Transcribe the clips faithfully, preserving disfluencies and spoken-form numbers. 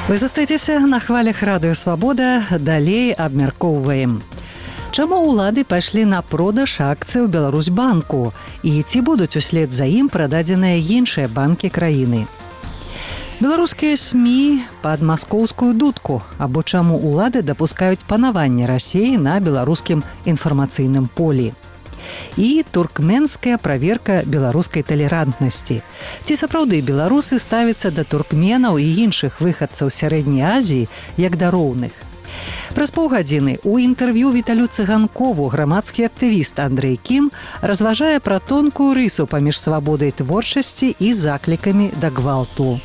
Вы застаецеся на хвалях радыё «Свабода», далей абмяркоўваем. Чаму ўлады пайшлі на продаж акцый у Беларусьбанку і ці будуць услед за ім прададзеныя іншыя банкі краіны? Беларускія СМІ пад маскоўскую дудку, або чаму ўлады дапускаюць панаванне Расіі на беларускім інфармацыйным полі. І туркменская праверка беларускай талерантнасці. Ці сапраўды беларусы ставяцца да туркменаў і іншых выхадцаў сярэдняй Азіі як да роўных? Праз паўгадзіны ў інтэрв'ю Віталю Цыганкову грамадскі актывіст Андрэй Кім разважае пра тонкую рысу паміж свабодай творчасці і заклікамі да гвалту.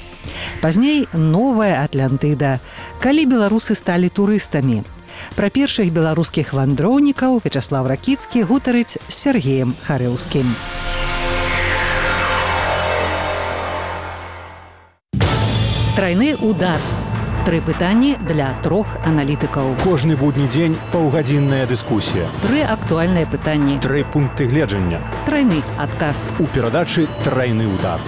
Пазней новая Атлантыда, калі беларусы сталі турыстамі. Пра першых беларускіх вандроўнікаў Вячаслав Ракіцкі гутарыць з Сергеем Харэўскім. Трайны удар. Тры пытанні для трох аналітыкаў. Кожны будні дзень паўгадзінная дыскусія. Тры актуальныя пытанні. Тры пункты гледжання. Трайны адказ. У перадачы «Трайны удар».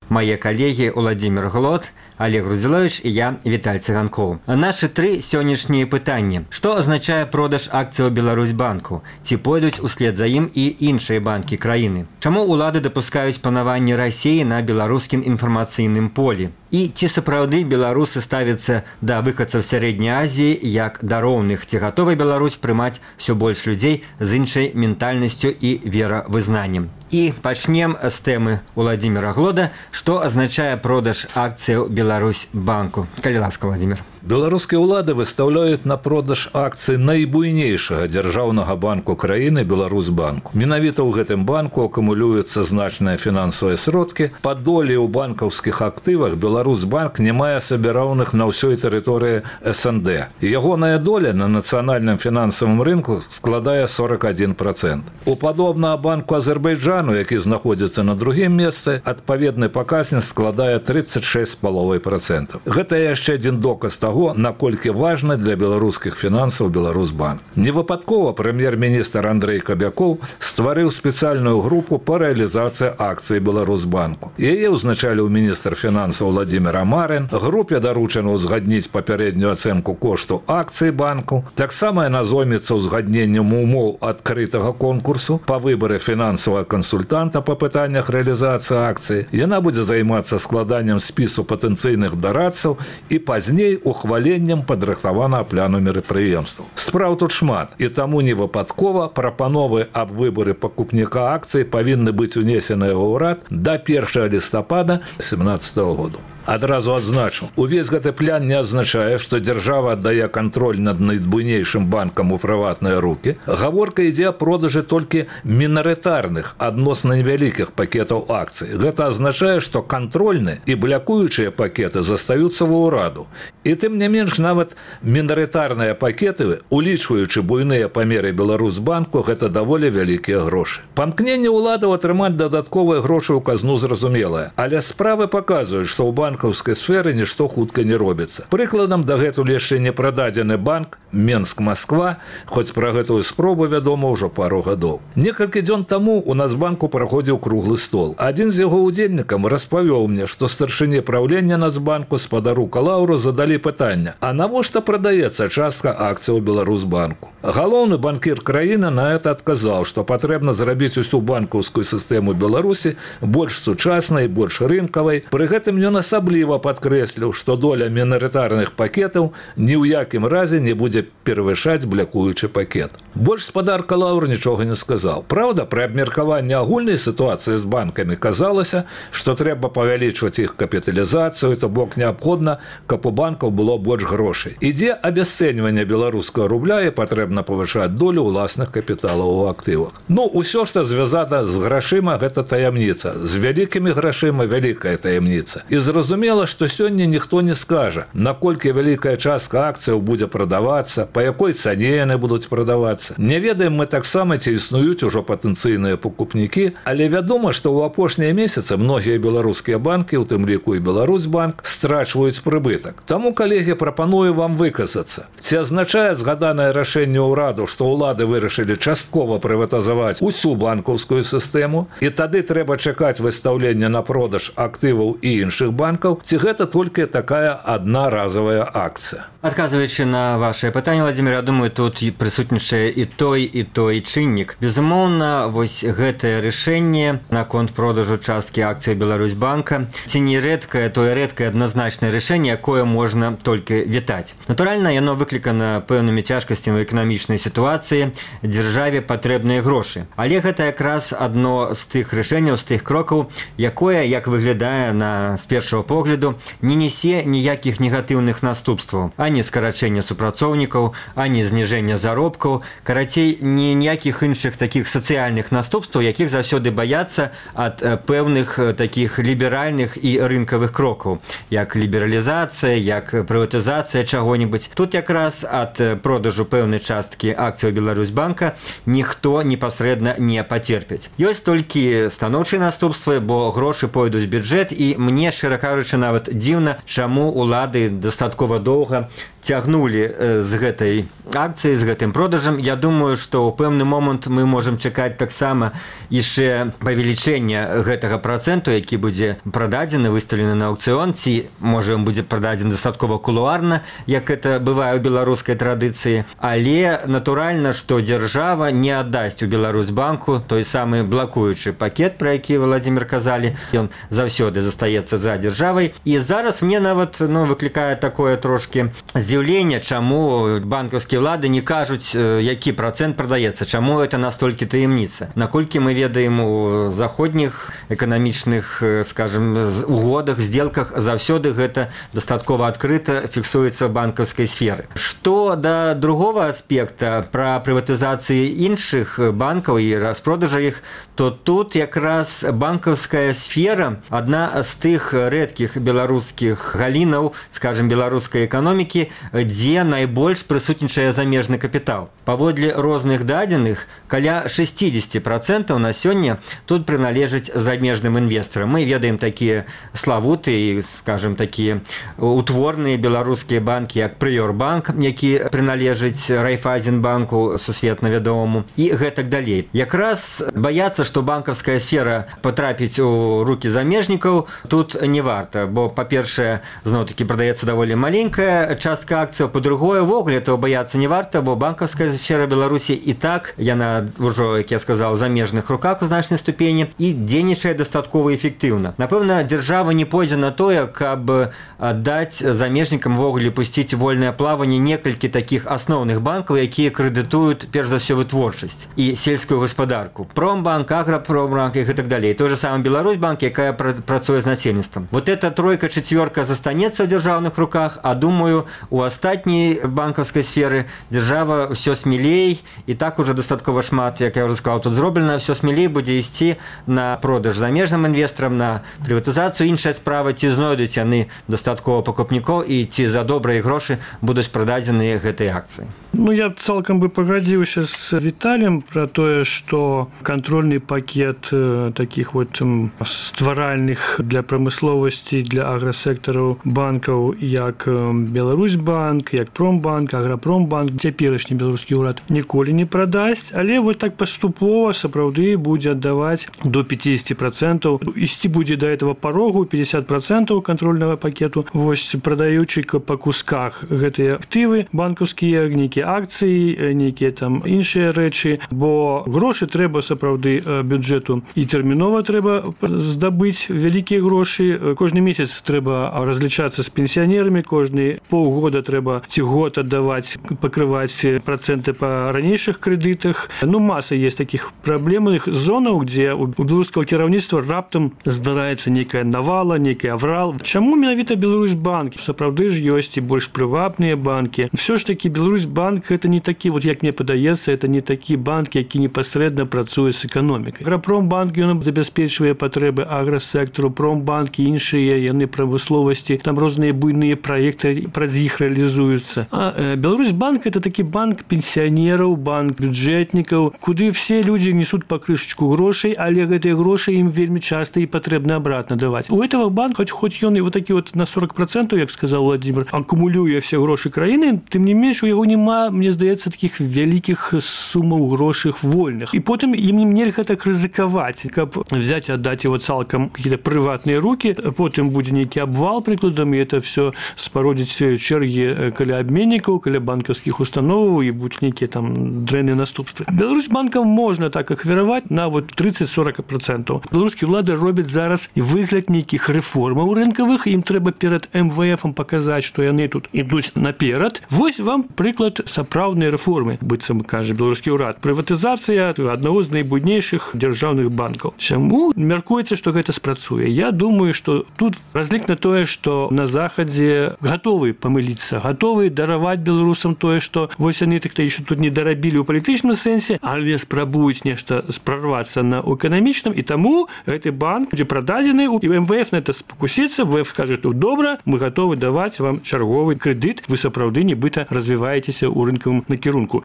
Мои коллеги Владимир Глот, Олег Рудзилович и я, Виталь Цыганков. Наши три сегодняшние пытания. Что означает продаж акций у Беларусьбанку? Ці пойдуць услед за ім і іншыя банкі краіны? Чаму улады дапускаюць панаванне Расіі на беларускім інфармацыйным полі? І ці сапраўды беларусы ставяцца да выхадцаў сярэдняй Азіі як да роўных? Ці гатова Беларусь прымаць усё больш людзей з іншай ментальнасцю і веравызнаннем? І пачнем з тэмы Владимира Глода, што азначае продаж акцыяў Беларусьбанку. Калі ласка, Владимир. Беларускія ўлады выстаўляюць на продаж акцый найбуйнейшага дзяржаўнага банку краіны Беларусьбанку. Менавіта ў гэтым банку акумулююцца значныя фінансавыя сродкі. Па долі ў банкаўскіх актывах Беларусьбанк не мае сабе-роўных на ўсёй тэрыторыі эс эн дэ. Ягоная доля на нацыянальным фінансавым рынку складае сорок адзін працэнт. У падобнага банку Азербайджану, які знаходзіцца на другім месцы, адпаведны паказнік складае тридцать шесть з паловай працэнтаў. Гэта яшчэ адзін доказ таго, наколькі важны для беларускіх фінансаў Беларусьбанк. Невыпадкова прэм'ер-міністр Андрэй Кабякоў стварыў спецыяльную групу па рэалізацыі акцый Беларусьбанку. Яе ўзначаліў міністр фінансаў Владимир Амарин. Групе даручана ўзгадніць папярэднюю ацэнку кошту акцый банку. Таксама яна зоймецца ўзгадненнем умоў адкрытага конкурсу па выбары фінансавага кансультанта па пытаннях рэалізацыі акцый. Яна будзе займацца складаннем спісу патэнцыйных дарадцаў і пазней у ухваленнем падрыхтаванага пляну мерапрыемстваў. Спраў тут шмат, і таму невыпадкова прапановы аб выбары пакупніка акцый павінны быць унесеныя ў ўрад да першага лістапада семнадцатага году. Адразу адзначу, увесь гэты план не азначае, што дзяржава аддае кантроль над найбуйнейшым банкам у прыватныя рукі. Гаворка ідзе о продажы толькі мінарытарных, адносна невялікіх пакетаў акцый. Гэта азначае, што кантрольны і блякуючыя пакеты застаюцца ва ўраду. І тым не менш, нават мінарытарныя пакеты, улічваючы буйныя памеры Беларусьбанку, гэта даволі вялікія грошы. Памкненне ўладаў атрымаць дадатковыя грошы ў казну зразумелае, але справы паказваюць, што ў банку банкаўскай сферы нішто хутка не робіцца. Прыкладам, дагэтуль яшчэ не прададзены банк Менск-Масква, хоць пра гэтую спробу вядома ўжо пару гадоў. Некалькі дзён таму у Нацбанку праходзіў круглы стол. Адзін з яго ўдзельнікам распавёў мне, што старшыні праўлення Нацбанку спадару Калаўру задалі пытанне: а навошта прадаецца частка акцый у Беларусьбанку? Галоўны банкір краіны на гэта адказаў, што патрэбна зрабіць усю банкаўскую сістэму Беларусі больш сучаснай, больш рынкавай. Пры гэтым ён асабліва падкрэсліў, што доля мінарытарных пакетаў ні ў якім разе не будзе перавышаць блякуючы пакет. Больш спадар Калаўр нічога не сказаў. Праўда, пры абмеркаванні агульнай сітуацыі з банкамі казалася, што трэба павялічваць іх капіталізацыю, то бок неабходна, каб у банкаў было больш грошай. Ідзе абясцэньванне беларускага рубля і патрэбна павышаць долю ўласных капіталаў у актывах. Ну, усё, што звязана з грашыма, гэта таямніца. З вялікімі грашыма вялікая таямніца. І зразумела, Зразумела, што сёння ніхто не скажа, наколькі вялікая частка акцыяў будзе прадавацца, па якой цане яны будуць прадавацца. Не ведаем мы таксама, ці існуюць ужо патэнцыйныя пакупнікі, але вядома, што ў апошнія месяцы многія беларускія банкі, у тым ліку і Беларусьбанк, страчваюць прыбытак. Таму, калегі, прапаную вам выказацца. Ці азначае згаданае рашэнне ўраду, што ўлады вырашылі часткова прыватызаваць усю банкаўскую сістэму, і тады трэба чакаць выстаўлення на продаж актываў і іншых банкаў, ці гэта толькі такая аднаразовая акцыя? Адказваючы на ваше пытанне, Владимир, я думаю, тут прысутнічае і той, і той чыннік. Безумоўна, вось гэтае рашэнне наконт продажу часткі акцый Беларусьбанка ці не рэдкае, тое рэдкае адназначнае рашэнне, якое можна толькі вітаць. Натуральна, яно выклікана пэўнымі цяжкасцямі эканамічнай сітуацыі, дзяржаве патрэбныя грошы. Але гэта якраз адно з тых рашэнняў, з тых крокаў, якое, як выглядае на з першага погляду, не несе ніякіх негатыўных наступстваў, ані скарачэння супрацоўнікаў, ані зніжэння заробкаў, карацей, ні ніякіх іншых такіх сацыяльных наступстваў, якіх заўсёды баяцца ад пэўных такіх ліберальных і рынкавых крокаў, як лібералізацыя, як прыватызацыя чаго-небудзь. Тут якраз ад продажу пэўнай часткі акцыяў Беларусьбанка ніхто непасрэдна не пацерпіць. Ёсць толькі станоўчыя наступствы, бо грошы пойдуць в бюджэт, і мне, шчыра кажучы, нават дзіўна, чаму улады дастаткова доўга цягнулі з гэтай акцыі, з гэтым продажам. Я думаю, што ў пэўны момант мы можам чакаць таксама яшчэ павелічэння гэтага працэнту, які будзе прададзены, выстаўлены на аукцыён, ці, можа, ён будзе прададзены дастаткова кулуарна, як это бывае ў беларускай традыцыі. Але натуральна, што дзяржава не аддасць у Беларусьбанку той самы блакуючы пакет, пра які Владимир казалі, ён заўсёды застаецца за дзяржавай. І зараз мне нават ну, выклікае такое трошки здзіўленне, чаму банкаўскія ўлады не кажуць, які працэнт прадаецца, чаму это настолькі таямніца. Наколькі мы ведаем у заходніх эканамічных, скажем, угодах, сделках, заўсёды гэта дастаткова адкрыта фіксуецца в банкаўскай сферы. Што да другого аспекта пра прыватызацыі іншых банкаў і распродажа іх, то тут якраз банкаўская сфера адна з тых рэдкіх беларускіх галінаў, скажем, беларускай эканомікі, дзе найбольш прысутнічае замежны капітал. Паводле розных дадзеных, каля шестьдесят процентов на сёння тут прыналежыць замежным інвестарам. Мы ведаем такія славутыя, скажем, такія утворныя беларускія банкі, як Прыёрбанк, які прыналежыць Райфайзенбанку, сусветна вядомаму, і гэтак далей. Якраз баяцца, што банкаўская сфера патрапіць у рукі замежнікаў, тут не варта, бо, па-першае, зноў-такі прадаецца даволі маленькая частка акцыяў, па-другое, ввогуле этого баяцца не варта, бо банкаўская сфера Беларусі і так, яна ўжо, як я сказаў, у замежных руках у значнай ступені і дзейнічае дастаткова эфектыўна. Напэўна, дзяржава не пойдзе на тое, каб аддаць замежнікам ввогуле пусціць вольнае плаванне некалькі такіх асноўных банкаў, якія крэдытуюць перш за ўсё вытворчасць і сельскую гаспадарку. Промбанк, Аграпромбанк і гэтак далей. Той же самы Беларусьбанк, якая працуе з насельніцтвам. Вот эта тройка, чацвёрка застанецца ў дзяржаўных руках, а думаю, у астатняй банкаўскай сферы дзяржава ўсё смелей, і так уже дастаткова шмат, як я ўжо сказаў, тут зроблена, ўсё смелей будзе ісці на продаж замежным інвестарам, на прыватызацыю. Іншая справа, ці знойдуць яны дастаткова пакупнікоў і ці за добрыя грошы будуць прададзеныя гэтыя акцыі. Ну, я цалкам бы пагадзіўся з Віталіем пра тое, што кантрольны пакет такіх вот стваральных для прамысловасці, для аграсектараў банкаў, як Беларусьбанк, як Промбанк, Аграпромбанк, цяперашні беларускі ўрад ніколі не прадасць, але вот так паступова сапраўды будзе аддаваць до пятьдесят процентов, ісці будзе да этого парогу пятьдесят процентов кантрольнага пакету, вось прадаючы па кусках гэтыя актывы банкаўскія, нейкія акцыі, нейкія там іншыя рэчы, бо грошы трэба сапраўды бюджэту і тэрмінова трэба здабыць вялікія грошы. Кожны месяц трэба разлічацца з пенсіянерамі, кожны паўгода года трэба ці год аддаваць, пакрываць працэнты па ранейшых крэдытах. Ну, маса есть такіх праблемных зонаў, дзе у беларускага кіраўніцтва раптам здараецца нейкая навала, нейкі аврал. Чаму менавіта Беларусьбанк? Сапраўды ж ёсць і больш прыватныя банкі. Всё ж такі Беларусьбанк это не такі, вот як мне падаецца, это не такі банк, які непасрэдна працуе з эканомікай. Аграпромбанк ён забяспечвае патрэбы аграсектару, промбанкі, іншыя яны прамысловасці, там розныя буйныя праекты праз іх рэалізуюцца. А э, Беларусьбанк это такі банк пенсіянераў, банк бюджэтнікаў, куды все людзі несуць па крышачку грошай, але гэтыя грошы ім вельмі часта і патрэбна обратно даваць. У этого банка, хоць хоць ён і вот такі вот на сорок процентов, як сказаў Владимир, акумулюе все грошы краіны, тым не менш у яго няма, мне здаецца, такіх вялікіх сумаў грошых вольных. І потым ім нельга так рызыкаваць, каб взять и отдать его цалкам какие-то прыватныя руки, потым будзе нейкі абвал, прыкладам, і это все спародзіць чэргі каля абменнікаў, каля банкаўскіх установаў і будуць нейкія там дрэнныя наступствы. Беларусьбанкам можна так ахвяраваць на вот тридцать-сорок процентов. Беларускія ўлады робяць зараз і выгляд нейкіх рэформаў рынкавых, ім трэба перад эм вэ эфам паказаць, што яны тут ідуць наперад. Вось вам прыклад сапраўднай рэформы, быццам кажа беларускі ўрад. Прыватызацыя аднаго з найбуйнейшых дзяржаўных банкаў. Чаму мяркуецца, што гэта спрацуе? Я думаю, што тут разлік на тое, што на захадзе гатовы памыліцца, гатовы дараваць беларусам тое, што вось яны так-то еще тут не дарабілі ў палітычным сэнсе, але спрабуюць нешта прорвацца на эканамічным, і таму гэты банк будзе прададзены, і эм вэ эф на это спакусіцца, эм вэ эф скажа, што добра, мы гатовы даваць вам чарговы крэдыт, вы сапраўды нібыта развіваецеся ў рынкавым накірунку.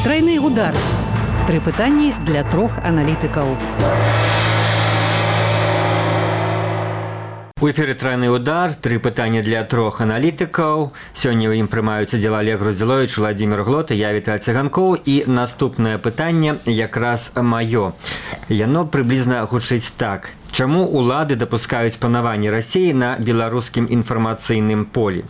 Трайны удар. Тры пытанні для трох аналітыкаў. У эфіры «Трайны удар», тры пытання для трох аналітыкаў. Сёння ў ім прымаюць удзел Олег Груздзіловіч, Владимир Глот, я Віталь Цыганкоў. І наступнае пытанне якраз маё. Яно прыблізна гучыць так. Чаму улады дапускаюць панаванне Расіі на беларускім інфармацыйным полі?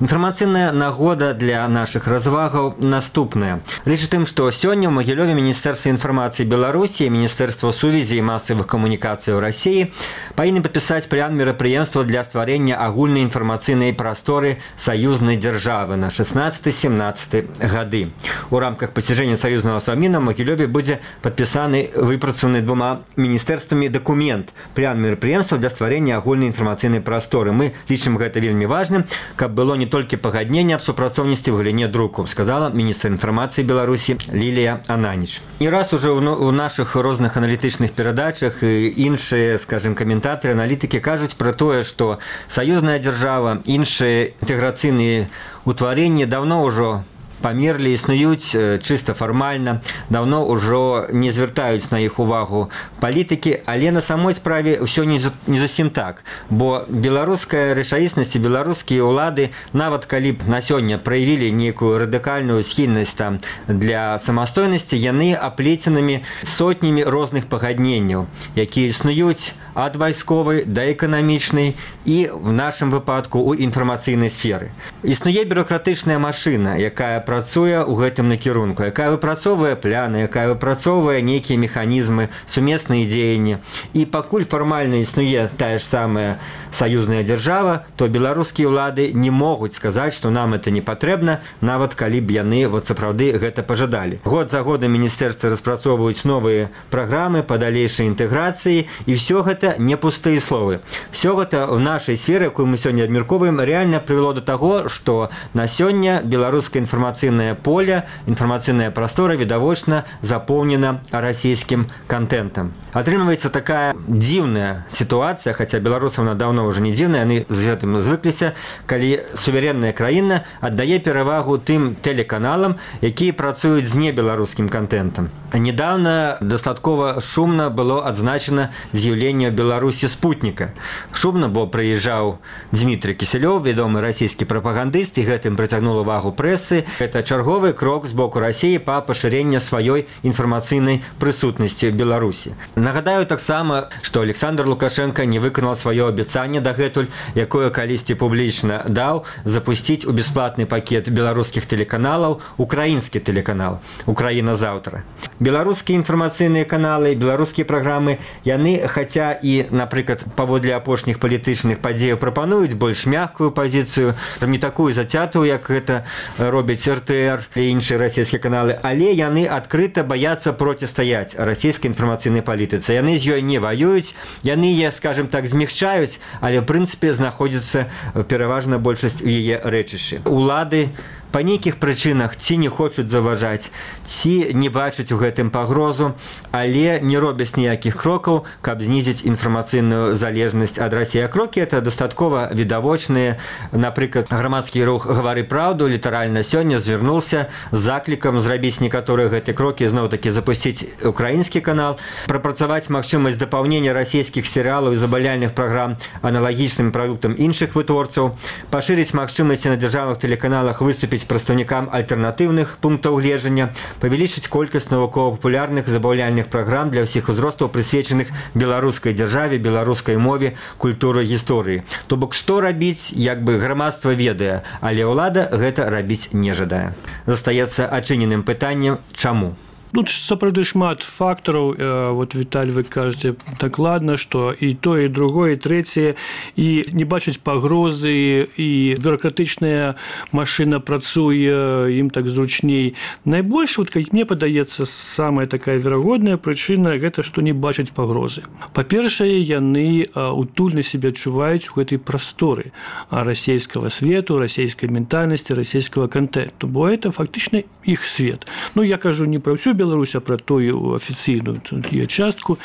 Інфармацыйная нагода для нашых развагаў наступная. Рэч у тым, што сёння ў Магілёве Міністэрства інфармацыі Беларусі і Міністэрства сувязі і масавых камунікацыяў Расіі павінны падпісаць план мерапрыемства для стварэння агульнай інфармацыйнай прасторы саюзнай дзяржавы на шестнадцаты-семнадцаты гады. У рамках пасяджэння саюзнага Совміна ў Магілёве будзе падпісаны выпрацаваны двума міністэрствамі дакумент план мерапрыемства для стварэння агульнай інфармацыйнай прасторы. Мы лічым гэта вельмі важным, каб было не толькі пагадненне аб супрацоўніцтве ў галіне друку, сказала міністр інфармацыі Беларусі Лілія Ананіч. І раз уже ў нашых розных аналітычных перадачах і іншыя, скажем, каментатары, аналітыкі кажуць пра тое, што саюзная дзяржава, іншыя інтэграцыйныя ўтварэнні даўно ўжо памерлі, існуюць чыста фармальна, даўно ўжо не звяртаюць на іх увагу палітыкі, але на самой справе ўсё не зусім так, бо беларуская рэчаіснасць і беларускія ўлады, нават калі б на сёння праявілі нейкую радыкальную схільнасць там для самастойнасці, яны аплеценымі сотнямі розных пагадненняў, якія існуюць ад вайсковай да эканамічнай і в нашым выпадку у інфармацыйнай сферы. Існуе бюрократычная машына, якая працуе ў гэтым накірунку, якая выпрацоўвае пляны, якая выпрацоўвае нейкія механізмы, сумесныя дзеянні. І пакуль фармальна існуе тая ж самая саюзная дзяржава, то беларускія ўлады не могуць сказаць, што нам это не патрэбна, нават калі б яны вот сапраўды гэта пажадалі. Год за годам міністэрствы распрацоўваюць новыя праграмы па далейшай інтэграцыі, і ўсё гэта не пустыя словы. Всё гэта в нашай сферы, якую мы сёння абмяркоўваем, реально прывяло до таго, што на сёння беларускае інфармацыйнае поле, інфармацыйная прастора відавочна запоўнена расійскім контентам. Атрымліваецца такая дзіўная сітуацыя, хаця беларусам она даўно ўжо не дзіўная, яны з гэтым звыкліся, калі суверенная краіна аддае перавагу тым тэлеканалам, якія працуюць з небеларускім контентам. Недавно дастаткова шумна было адзначана з'яўленне в Беларусі спутніка. Шумна, бо прыязджаў Дмітрий Кісялёў, вядомы расійскі прапагандыст, і гэтым прыцягнуў увагу прэсы. Гэта чарговы крок з боку Расіі па пашырэння сваёй інфармацыйнай прысутнасці в Беларусі. Нагадаю таксама, што Александр Лукашенко не выканаў сваё абяцанне дагэтуль, якое калісьці публічна даў, запусціць у бясплатны пакет беларускіх тэлеканалаў украінскі тэлеканал «Украіна заўтра». беларускія інфармацыйныя каналы, беларускія праграмы, яны, хаця і, напрыклад, паводле апошніх палітычных падзеяў прапануюць больш мяккую пазіцыю, не такую зацятую, як гэта робяць эр тэ эр і іншыя расійскія каналы, але яны адкрыта баяцца процістаяць расійскай інфармацыйнай палітыцы. Яны з ёй не ваююць, яны яе, скажем так, змягчаюць, але ў прынцыпе знаходзіцца пераважна большасць у яе рэчышчы. Улады па нейкіх прычынах ці не хочуць заўважаць, ці не бачаць у гэтым пагрозу, але не робяць ніякіх крокаў, каб знізіць інфармацыйную залежнасць ад Расіі. А крокі это дастаткова відавочныя. Напрыклад, грамадскі рух «Гавары праўду» літаральна сёння звярнуўся з заклікам зрабіць некаторыя гэтыя крокі, зноў-такі запусціць украінскі канал, прапрацаваць магчымасць дапаўнення расійскіх серыялаў і забаўляльных праграм аналагічным прадуктам іншых вытворцаў, пашырыць магчымасці на дзяржаўных тэлеканалах выступіць прадстаўнікам альтэрнатыўных пунктаў гледжання, павялічыць колькасць навукова-папулярных забаўляльных праграм для ўсіх узростаў, прысвечаных беларускай дзяржаве, беларускай мове, культуры, гісторыі. То бок, што рабіць, як бы грамадства ведае, але ўлада гэта рабіць не жадае. Застаецца адчыненым пытаннем, чаму? Тут сапраўды шмат фактараў. Вот, Віталь, вы кажаце дакладна, што і то, і другое, і трэцяе, і не бачаць пагрозы, і бюракратычная машына працуе, ім так зручней. Найбольш, вот, як мне падаецца, самая такая верагодная прычына гэта, што не бачаць пагрозы. Па-першае, яны утульна сябе адчуваюць у гэтай прасторы расійскага свету, расійскай ментальнасці, расійскага контенту, бо это фактычна іх свет. Ну, я кажу не пра ўсю Беларусь, а пра тую афіцыйную частку,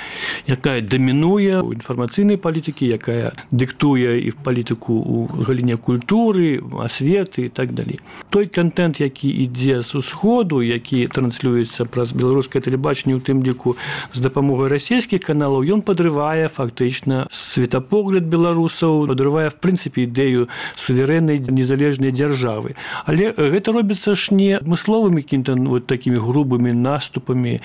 якая дамінуе ў інфармацыйнай палітыкі, якая дыктуе і в палітыку ў галіне культуры, асветы і так далей. Той контент, які ідзе з усходу, які транслюецца праз беларускае тэлебачанне, у тым ліку з дапамогай расійскіх каналаў, ён падрывае фактычна светапогляд беларусаў, падрывае в прынцыпе ідэю суверэннай незалежнай дзяржавы. Але гэта робіцца ж не адмысловымі какімі-то вот такімі грубымі наступамі,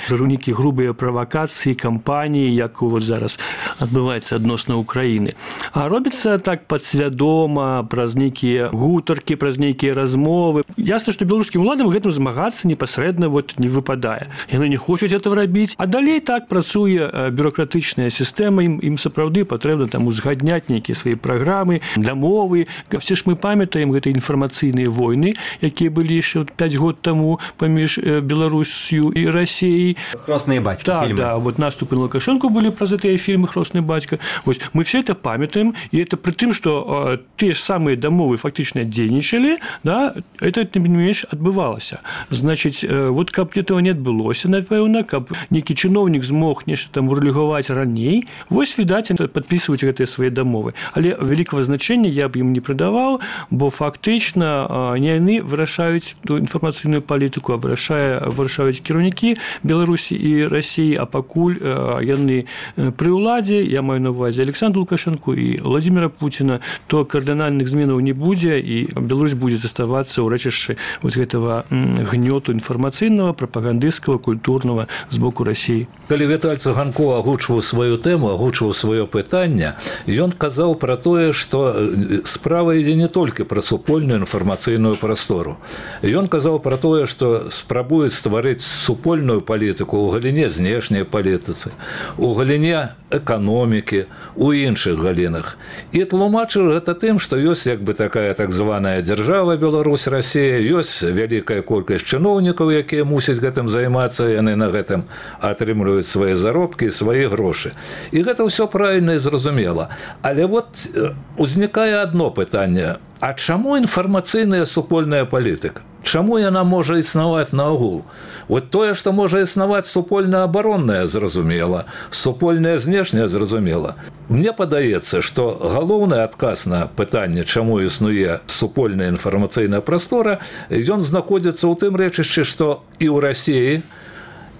нейкія грубыя правакацыі, кампаніі, як вот зараз адбываецца адносна Украіны. А робіцца так падсвядома, праз нейкія гутаркі, праз нейкія размовы. Ясна, што беларускім уладам гэтым змагацца непасрэдна вот не выпадае. Яны не хочуць этого рабіць, а далей так працуе бюракратычная сістэма, ім, ім сапраўды патрэбна там узгадняць нейкія свае праграмы для мовы. Все ж мы памятаем гэты інфармацыйныя войны, якія былі яшчэ пяць год таму паміж Беларусью і Россией. «Хростные батьки» да, фильмы. Да, вот наступы на Лукашенко были про эти фильмы «Хростный батька». Вот, мы все это памятаем, и это при том, что э, те самые домовые фактично дзейнічалі, да, это, тем не менш, отбывалось. Значит, э, вот каб этого не отбылося, напэўна, каб некі чыноўнік змог нешта там урэгуляваць раней, вось, відаць, подписывать гэтыя свои домовы. Але великого значения я бы им не придавал, бо фактично э, не яны вырашаюць ту інфармацыйную палітыку, а вырашае, вырашаюць кіраўнікі Беларусі і Расіі, а пакуль э, яны пры ўладзе, я маю на увазе Александра Лукашенко і Владимира Путина, то кардынальных зменаў не будзе, і Беларусь будзе заставацца ў рэчышчы вот гэтага гнёту інфармацыйнага, прапагандысцкага, культурнага з боку Расіі. Калі Віталь Цыганкоў агучваў сваю тэму, агучваў сваё пытанне, ён казаў пра тое, што справа ідзе не толькі пра супольную інфармацыйную прастору. Ён казаў пра тое, што спрабуюць стварыць супольную палітыку ў галіне знешняй палітыцы, у галіне эканомікі, у іншых галінах. І тлумачыў гэта тым, што ёсць як бы такая так званая дзяржава Беларусь, Расія, ёсць вялікая колькасць чыноўнікаў, якія мусяць гэтым займацца, яны на гэтым атрымліваюць свае заробкі і свае грошы. І гэта ўсё правільна і зразумела. Але вот узнікае адно пытанне: а чаму інфармацыйная супольная палітыка? Чаму яна можа існаваць наогул? Вот тое, што можа існаваць супольна-абаронная, зразумела, супольная знешняя, зразумела. Мне падаецца, што галоўны адказ на пытанне, чаму існуе супольная інфармацыйная прастора, ён знаходзіцца ў тым рэчышчы, што і ў Расіі,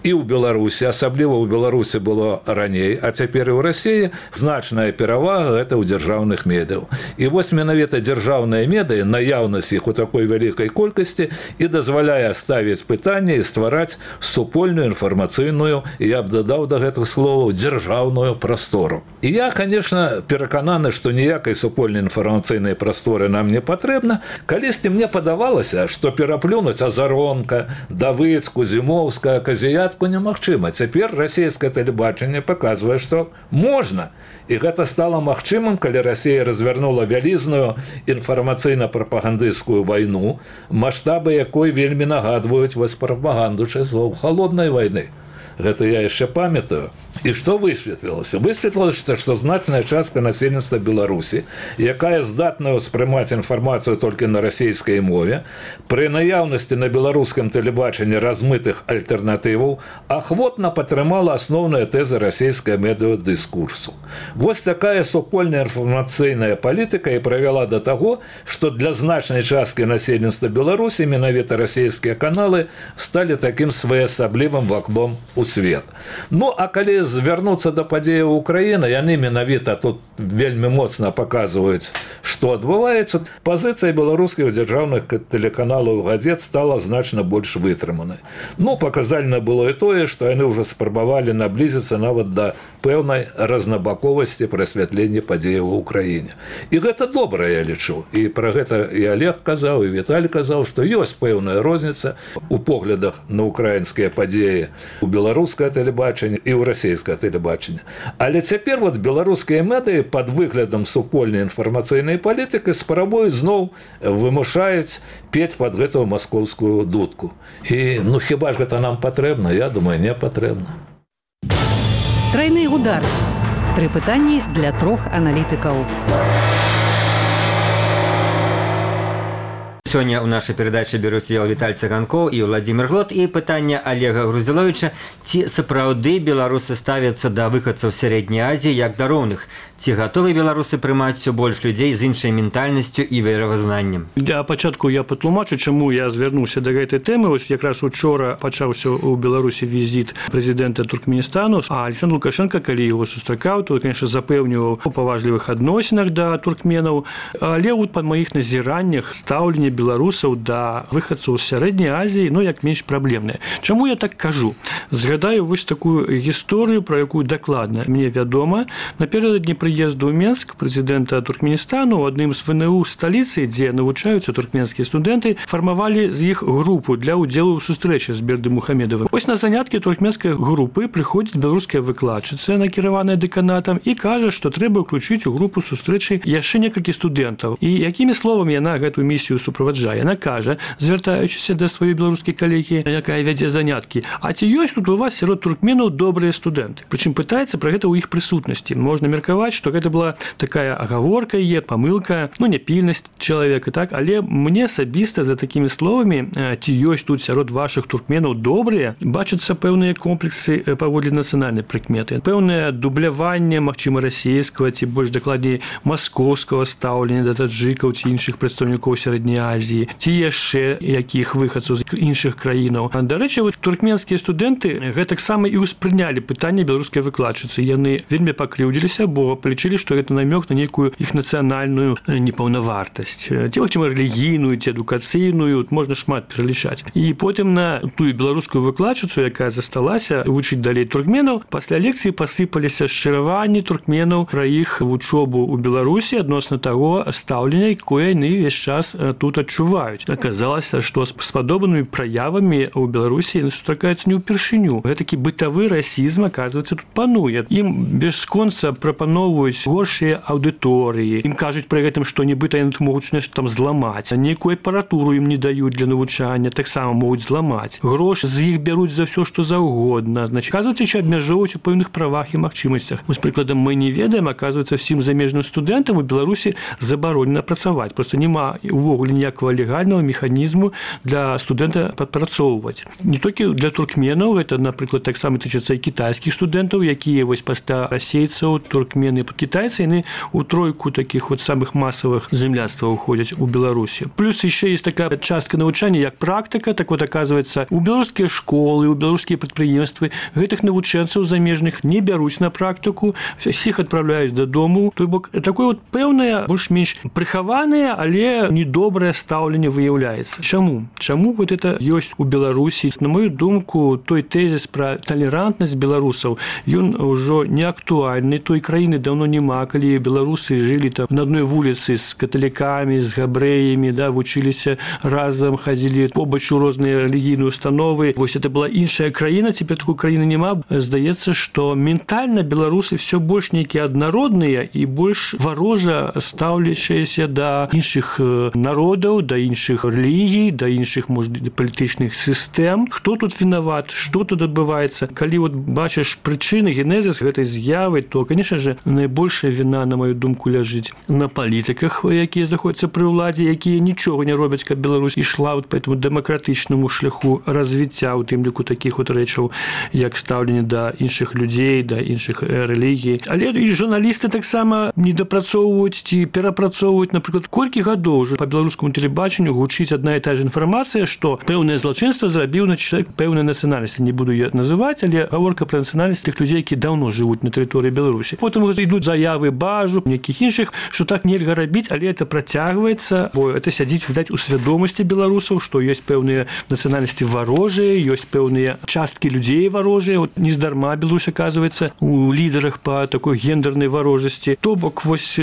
і ў Беларусі, асабліва ў Беларусі было раней, а цяпер і ў Расіі значная перавага гэта ў дзяржаўных медыяў. І вось менавіта дзяржаўныя медыі, наяўнасць іх у такой вялікай колькасці і дазваляе ставіць пытанне і ствараць супольную інфармацыйную, і я б дадаў да гэтых словаў, дзяржаўную прастору. І я, конечно, перакананы, што ніякай супольнай інфармацыйнай прасторы нам не патрэбна. Калісьці мне падавалася, што пераплюнуць Азаронка, Давыцку, Зімоўская, Казіят пачатку немагчыма. Цяпер расійскае тэлебачанне паказвае, што можна. І гэта стала магчымым, калі Расія развярнула вялізную інфармацыйна-прапагандысцкую вайну, маштабы якой вельмі нагадваюць вось прапаганду часоў халоднай вайны. Гэта я яшчэ памятаю. І што высветлілася? Высветлілася, што значная частка насельніцтва Беларусі, якая здатная ўспрымаць інфармацыю толькі на расійскай мове, пры наяўнасці на беларускім тэлебачанні размытых альтэрнатываў, ахвотна падтрымала асноўныя тэзы расійскай медыадыскурсу. Вось такая супольная інфармацыйная палітыка і правяла да таго, што для значнай часткі насельніцтва Беларусі менавіта расійскія каналы сталі такім своеасаблівым вакном у свет. Ну, а калі звярнуцца да падзеяў Украіны, яны менавіта тут вельмі моцна паказваюць, што адбываецца. Пазіцыя беларускіх дзяржаўных тэлеканалаў газет стала значна больш вытрыманай. Ну, паказальна было і тое, што яны ўжо спрабавалі наблізіцца нават да пэўнай разнабаковасці прасвятлення падзеяў у Украіне. І гэта добра, я лічу. І пра гэта і Олег казаў, і Віталь казаў, што ёсць пэўная розніца у поглядах на украінскія падзеі у беларускае тэлебачанне і ў расійскае тэлебачанне. Але цяпер вот беларускія медыі пад выглядам супольнай інфармацыйнай палітыкі спрабуюць зноў вымушаюць пець пад гэтую маскоўскую дудку. І ну хіба ж гэта нам патрэбна? Я думаю, не патрэбна. Тройны удар. Тры пытанні для трох аналітыкаў. Сёння ў нашай перадачы бяруць удзел Віталь Цыганкоў і Владзімір Глот. І пытанне Олега Груздзіловіча: ці сапраўды беларусы ставяцца да выхадцаў сярэдняй Азіі як да роўных? Ці гатовы беларусы прымаць усё больш людзей з іншай ментальнасцю і веравызнаннем? Для пачатку я патлумачу, чаму я звярнуўся да гэтай тэмы. Вось якраз учора пачаўся ў Беларусі візіт прэзідэнта Туркменістану, а Александр Лукашенко, калі яго сустракаў, то, конечно, запэўніваў у паважлівых адносінах да туркменаў. Але вот па маіх назіраннях стаўленне беларусаў да выхадцаў з сярэдняй Азіі, ну, як менш праблемнае. Чаму я так кажу? Згадаю вось такую гісторыю, пра якую дакладна мне вядома. Наперададні прыезду ў Менск прэзідэнта Туркменістану ў адным з ВНУ сталіцы, дзе навучаюцца туркменскія студэнты, фармавалі з іх групу для ўдзелу ў сустрэчы з Бердымухамедавым. Вось на заняткі туркменскай групы прыходзіць беларуская выкладчыца, накіраваная дэканатам, і кажа, што трэба ўключыць у групу сустрэчы яшчэ некалькі студэнтаў. І якімі словамі яна гэтую місію суправаджае? Яна кажа, звяртаючыся да сваёй беларускай калегі, якая вядзе заняткі: а ці ёсць тут у вас сярод туркменаў добрыя студэнты? Прычым пытаецца пра гэта ў іх прысутнасці. Можна меркаваць, што гэта была такая агаворка, е, памылка, ну, няпільнасць чалавека, так? Але мне асабіста за такімі словамі, ці ёсць тут сярод вашых туркменаў добрыя, бачацца пэўныя комплексы паводле нацыянальнай прыкметы. Пэўнае дубляванне, магчыма, расійскага, ці больш дакладней маскоўскага стаўлення да таджыкаў ці іншых прадстаўнікоў сярэдняй Азіі, ці яшчэ якіх выхадцаў з іншых краінаў. Дарэчы, вот туркменскія студэнты гэтаксама і ўспрынялі пытанне беларускай выкладчыцы. Яны вельмі пакрыўдзіліся, бо палічылі, што гэта намёк на нейкую іх нацыянальную непаўнавартасць. Ці, магчыма, рэлігійную, ці адукацыйную, можна шмат пералічаць. І потым на тую беларускую выкладчыцу, якая засталася вучыць далей туркменаў, пасля лекцыі пасыпаліся шчыраванні туркменаў пра іх вучобу ў Беларусі адносна таго стаўлення, якое яны ўвесь час тут адчуваюць. Аказалася, што з падобнымі праявамі ў Беларусі сустракаюцца не ўпершыню. Гэтакі бытавы расізм, аказваецца, тут пануе. Ім бясконца прапаноўваюць горшыя аўдыторыі. Ім кажуць пры гэтым, што нібыта яны могуць нешта там зламаць. Нейкую апаратуру ім не даюць для навучання, таксама могуць зламаць. Грошы з іх бяруць за ўсё, што заўгодна. Значит, аказваецца, що абмяжоўваюць у пэўных правах і магчымасцях. Вось, прыкладам, мы не ведаем, аказваецца, всім замежным студэнтам у Беларусі забаронена працаваць. Просто няма увогуле ніякага легальнага механізму для студэнта падпрацоўваць. Не толькі для туркменаў, гэта, напрыклад, таксама тычыцца і кітайскіх студэнтаў, якія вось пасля расейцаў, туркмены, кітайцы, яны у тройку такіх вот самых масавых земляцтваў уходзяць у Беларусі. Плюс яшчэ есть такая частка навучання, як практыка. Так вот, аказваецца, у беларускія школы, у беларускія прадпрыемствы гэтых навучэнцаў замежных не бяруць на практыку, всіх адпраўляюць дадому. То бок, такое вот пэўнае, больш-менш прыхаванае, але недобрае стаўленне выяўляецца. Чаму? Чаму вот это ёсць у Беларусі? На мою думку, той тезіс пра талерантнасць беларусаў, ён ўжо не актуальны. Той краіны даўно няма, калі беларусы жылі там на адной вуліцы з каталікамі, з габрэямі, да, вучыліся разам, хадзілі побач у розныя рэлігійныя установы. Вось это была іншая краіна, цяпер такой краіны няма. Здаецца, што ментальна беларусы все больш нейкія аднародныя і больш варожа стаўлячыся да іншых народаў, да іншых рэлігій, да іншых, можа, палітычных сістэм. Хто тут вінават, што тут адбываецца? Калі вот бачыш прычыны, генезіс гэтай з'явы, то, конечно же, найбольшая віна, на мою думку, ляжыць на палітыках, якія знаходзяцца пры ўладзе, якія нічога не робяць, каб Беларусь ішла вот по этому дэмакратычнаму шляху развіцця, у тым ліку такіх вот рэчаў, як стаўленне да іншых людзей, да іншых рэлігій. Але і журналісты таксама недапрацоўваюць ці перапрацоўваюць, напрыклад, колькі гадоў уже по беларускаму тэлебачанню гучыць адна і та ж інфармацыя, што пэўнае злачынства зрабіў на чалавек пэўнай нацыянальнасці. Не буду я называць, але гаворка пра нацыянальнасць тых людзей, які даўно жывуць на тэрыторыі Беларусі. Потым ідуць заявы бажу, нейкіх іншых, што так нельга рабіць, але это працягваецца, бо это сядзіць, відаць, у свядомасці беларусаў, што ёсць пэўныя нацыянальнасці варожыя, ёсць пэўныя часткі людзей варожыя. Вот нездарма Беларусь оказывается у лідарах па такой гендернай варожасці. То бок, вось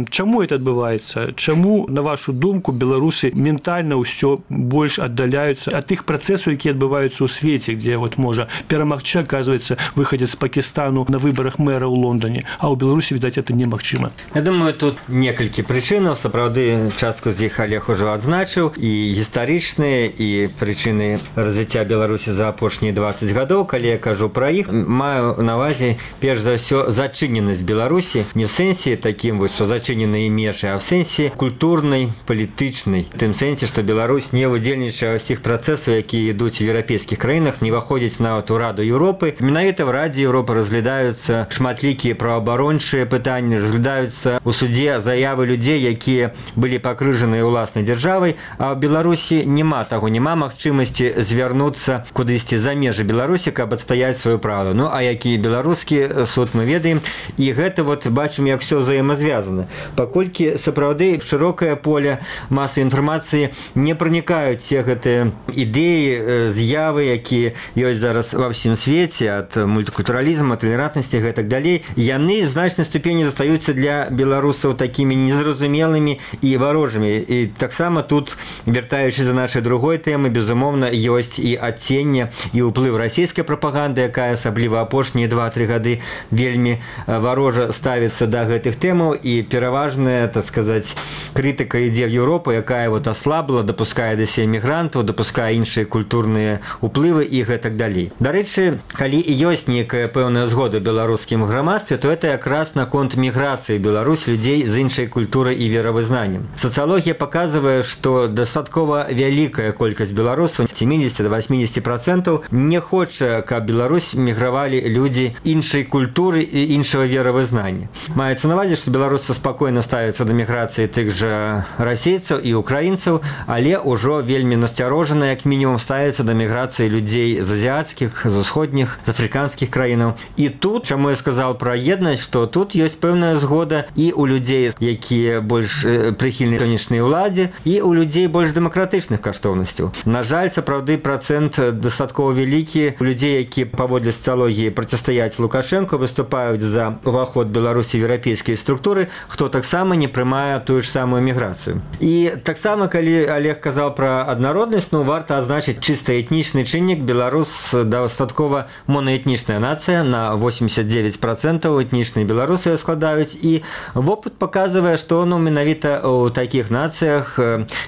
чаму это адбываецца? Чаму, на вашу думку, беларусы ментальна ўсё больш аддаляюцца ад тых працэсаў, якія адбываюцца ў свеце, дзе вот можа перамагчы, оказывается, выходит з Пакистану на выборах мэра ў Лондоне, а ў Беларусі, відаць, это немагчыма. Я думаю, тут некалькі прычынаў, сапраўды частку з іх Олег ужо адзначыў, і гістарычныя, і прычыны развіцця Беларусі за апошнія дваццаць гадоў. Калі я кажу пра іх, маю на ўвазе перш за ўсё зачыненасць Беларусі, не в сэнсе такім, вось, што зачыненыя межы, а в сэнсе культурнай, палітычнай. В тым сэнсе, што Беларусь не удзельнічае ў усіх працэсаў, якія ідуць у еўрапейскіх краінах, не выходзіць нават у Раду Еўропы. Менавіта в Радзе Еўропы разглядаюцца шматлікія праваабарончыя пытанні, разглядаюцца ў судзе заявы людзей, якія былі пакрыжаныя ўласнай дзяржавай, а ў Беларусі няма таго, няма магчымасці звярнуцца кудысьці за межы Беларусі, каб адстаяць сваю праўду. Ну, а які беларускі суд мы ведаем, і гэта вот бачым, як все взаемазвязана. Паколькі сапраўды шырокае поле масавай інфармацыі не пранікаюць все гэтыя ідэі, з'явы, якія ёсць зараз ва ўсім свеце, ад мультикультуралізму, талерантнасці і так далей, яны в значнай ступені застаюцца для беларусаў такімі незразумелымі і варожымі. І таксама тут, вяртаючы за нашай другой тэмы, безумоўна, ёсць і адценне, і ўплыў расійскай прапаганды, якая асабліва апошнія два-тры гады вельмі варожа ставіцца да гэтых тэмаў, і пераважная, так сказаць, крытыка ідзе в Еўропу, якая вот аслабла, дапускае да сябе мігрантаў, дапускае іншыя культурныя уплывы і гэтак далей. Дарэчы, калі і ёсць нейкая пэўная згода ў беларускім грамадстве, то это якраз наконт міграцыі Беларусь людзей з іншай культурай і веравызнаннем. Сацыялогія паказвае, што дастаткова вялікая колькасць беларусаў, сямдзесят до восьмидесяти процентов, не хоча, каб Беларусь мігравалі людзі іншай культуры і іншага веравызнання. Маецца на ўвазе, што беларусы спакойна ставяцца да міграцыі тых жа расейцаў і украінцаў, але ўжо вельмі насцярожана, як мінімум, ставяцца да міграцыі людзей з азіяцкіх, з усходніх, з афрыканскіх краінаў. І тут, чаму я сказаў пра еднасць, што тут ёсць пэўная згода і ў людзей, якія больш прыхільныя сённяшняй уладзе, і ў людзей больш дэмакратычных каштоўнасцяў. На жаль, сапраўды працэнт дастаткова вялікі у людзей, які паводле сацыялогіі процістаяць Лукашенко, выступаюць за уваход Беларусі в еўрапейскія структуры, хто таксама не прымае тую ж самую міграцыю. І таксама, калі Олег казаў пра аднароднасць, ну, варта азначыць чыста этнічны чыннік. Беларус дастаткова монаэтнічная нацыя, на восемьдесят девять процентов этнічныя беларусы складаюць, і вопыт паказвае, што, ну, менавіта ў такіх нацыях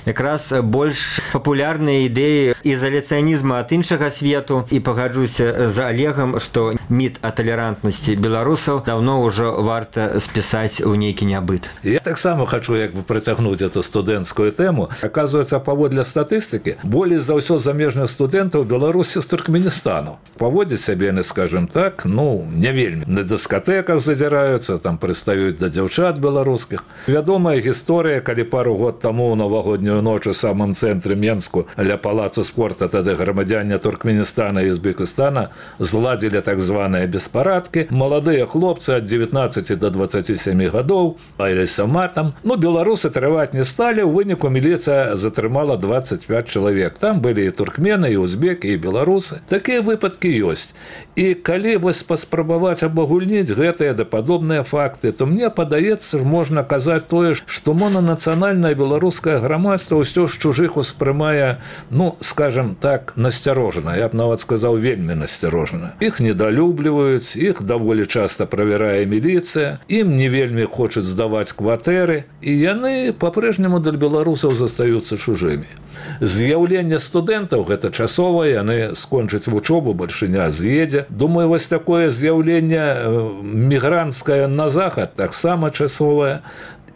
якраз больш папулярныя ідэі ізаляцыянізма ад іншага свету. І пагаджуся з Олегам, што міт о талерантнасці беларусаў давно ўжо варта спісаць у нейкі нябыт. Я таксама хочу як бы працягнуць эту студэнцкую тэму. Оказывается, паводле статыстыкі, болей за ўсё замежных студэнтаў Беларусі з Туркменістану. Паводзяць сябе, скажем так, ну, не вельмі. На дыскатэках задзіраюцца, там прыстаюць да дзяўчат беларускіх. Вядомая гісторыя, калі пару год таму ў навагоднюю ноч у самым цэнтры Менску ля палацу спорта, тады грамадзяне Туркменістана і Узбекістана зладзілі так званыя беспарадкі. Маладыя хлопцы ад дзевятнаццаці да дваццаці сямі гадоў паліліся матам. Ну, беларусы трываць не сталі, у выніку міліцыя затрымала дваццаць пяць чалавек. Там былі і туркмены, і узбекі, і беларусы. Такія выпадкі ёсць. І калі вось паспрабаваць абагульніць гэтыя да падобныя факты, то мне падаецца, можна казаць тое, што монанацыянальнае беларускае грамадства ўсё ж чужых успрымае, ну, скажем так, насцярожана. Я б нават сказаў, вельмі насцярожана. Іх недалюбліваюць, іх даволі часта правярае міліцыя, ім не вельмі хочуць здаваць кватэры, і яны па-прэжняму для беларусаў застаюцца чужымі. З'яўленне студэнтаў гэта часовае, яны скончаць вучобу, бальшыня з'едзе. Думаю, вось такое з'яўленне мігранцкае на захад таксама часовае.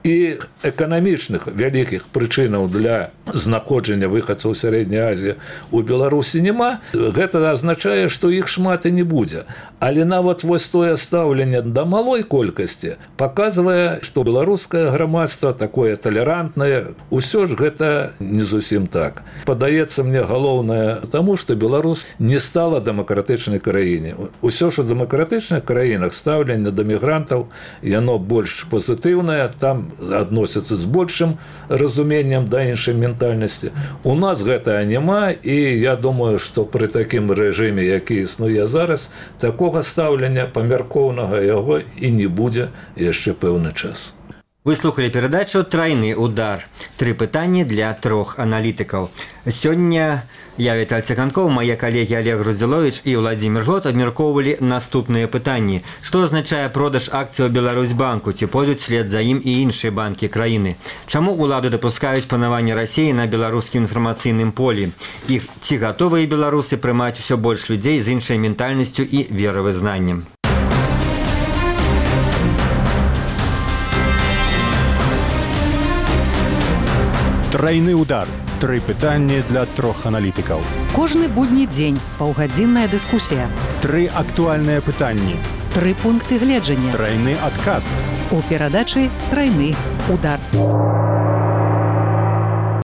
І эканамічных вялікіх прычынаў для знаходжання выхадцаў сярэдняй Азіі у Беларусі няма. Гэта азначае, што іх шмат і не будзе. Але нават вось тое стаўленне да малой колькасці паказвае, што беларускае грамадства такое талерантнае. Усё ж гэта не зусім так. Падаецца мне галоўнае таму, што Беларусь не стала дэмакратычнай краіне. Усё ж у дэмакратычных краінах стаўленне да мігрантаў яно больш пазітыўнае, там адносяцца з большым разуменнем да іншай ментальнасці. У нас гэтага няма, і я думаю, што пры такім рэжыме, які існуе зараз, такога стаўлення памяркоўнага яго і не будзе яшчэ пэўны час. Вы слухали перадачу «Трайны удар». Тры пытанні для трох аналітыкаў. Сёння я, Віталь Циганкоў, мае калегі Олег Груздзіловіч і Владзімір Глот абмяркоўвалі наступныя пытанні. Што азначае продаж акцыяў Беларусьбанку? Ці пойдуць след за ім і іншыя банкі краіны? Чаму улады дапускаюць панаванне Расіі на беларускім інфармацыйным полі? І ці гатовыя беларусы прымаць усё больш людзей з іншай ментальнасцю і веравызнаннем? Трайны удар. Тры пытанні для трох аналітыкаў. Кожны будні дзень паўгадзінная дыскусія. Тры актуальныя пытанні. Тры пункты гледжання. Трайны адказ. У перадачы «Трайны удар».